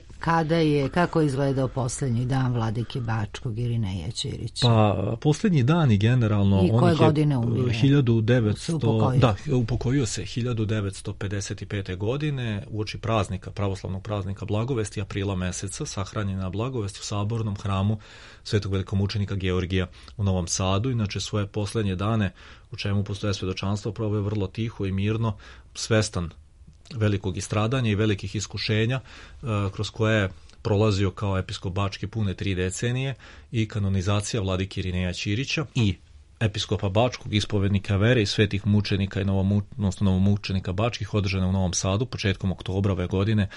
I kako je izgledao posljednji dan vladike Bačkog Irineja Ćirića? Pa posljednji dan i generalno... I koje godine umire? 1900, upokojio se 1955. godine uoči praznika, pravoslavnog praznika Blagovesti, aprila meseca, sahranjen na Blagovesti u sabornom hramu Svetog velikomučenika Georgija u Novom Sadu. Inače svoje posljednje dane, u čemu postoje svedočanstvo, proveo je vrlo tiho i mirno, svestan velikog istradanja i velikih iskušenja kroz koje je prolazio kao episkop Bačke pune 3 decenije i kanonizacija vladike Irineja Ćirića i episkopa Bačkog, ispovednika vere i svetih mučenika i novomučenika Bačkih održana u Novom Sadu početkom oktobra ove godine,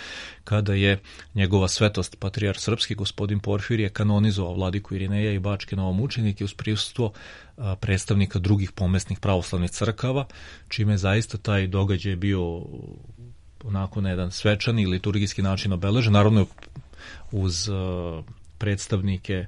kada je njegova svetost patrijarh srpski gospodin Porfirije kanonizovao vladiku Irineja i Bačke novomučenike uz prisustvo predstavnika drugih pomesnih pravoslavnih crkava, čime je zaista taj događaj bio onako na jedan svečani i liturgijski način obeležen, naravno uz predstavnike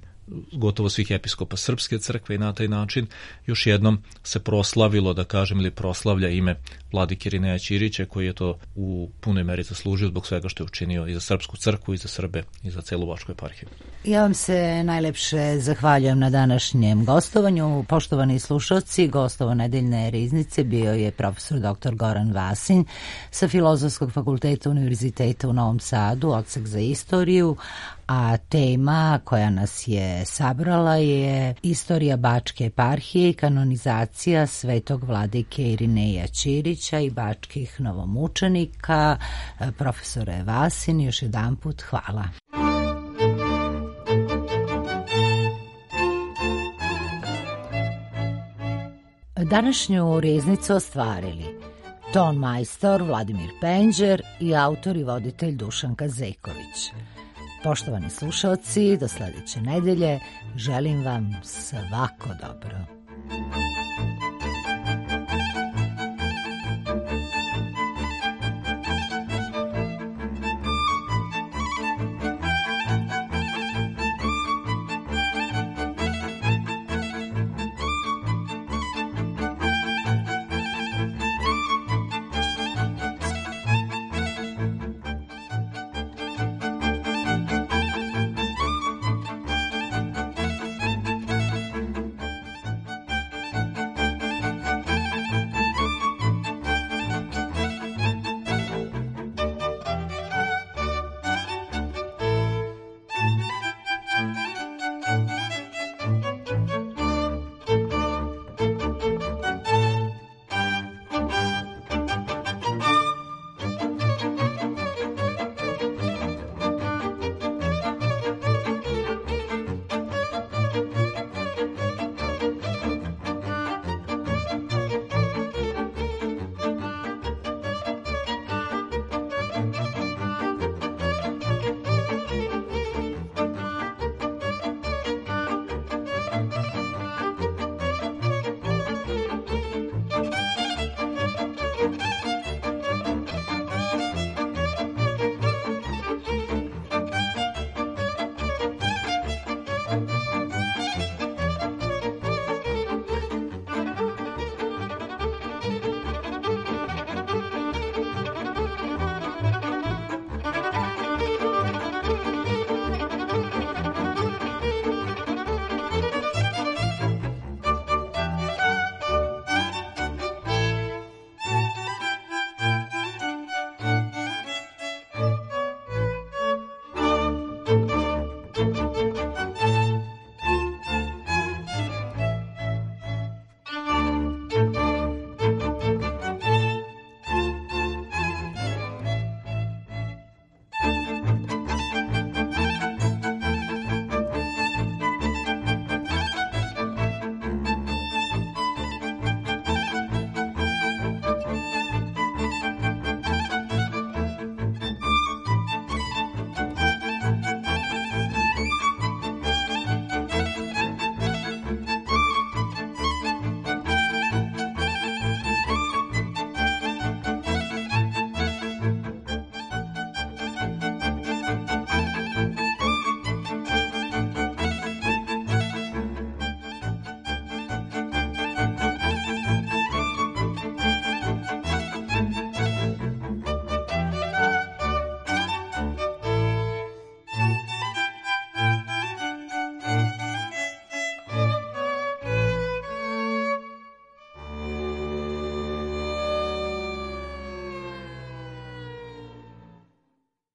gotovo svih episkopa Srpske crkve i na taj način još jednom se proslavilo, da kažem, ili proslavlja ime vladike Irineja Ćirića, koji je to u punoj meri zaslužio zbog svega što je učinio i za Srpsku crkvu i za Srbe i za celu Bačku eparhiju. Ja vam se najlepše zahvaljujem na današnjem gostovanju. Poštovani slušalci, gostovo nedeljne riznice bio je profesor dr. Goran Vasin sa Filozofskog fakulteta Univerziteta u Novom Sadu, odsek za istoriju, a tema koja nas je sabrala je istorija Bačke eparhije i kanonizacija svetog vladike Irineja Ćirića i bačkih novomučenika. Profesore Vasin, još jedanput hvala. Današnju riznicu ostvarili ton majstor Vladimir Penđer i autor i voditelj Dušanka Zeković. Poštovani slušalci, do sledeće nedelje želim vam svako dobro.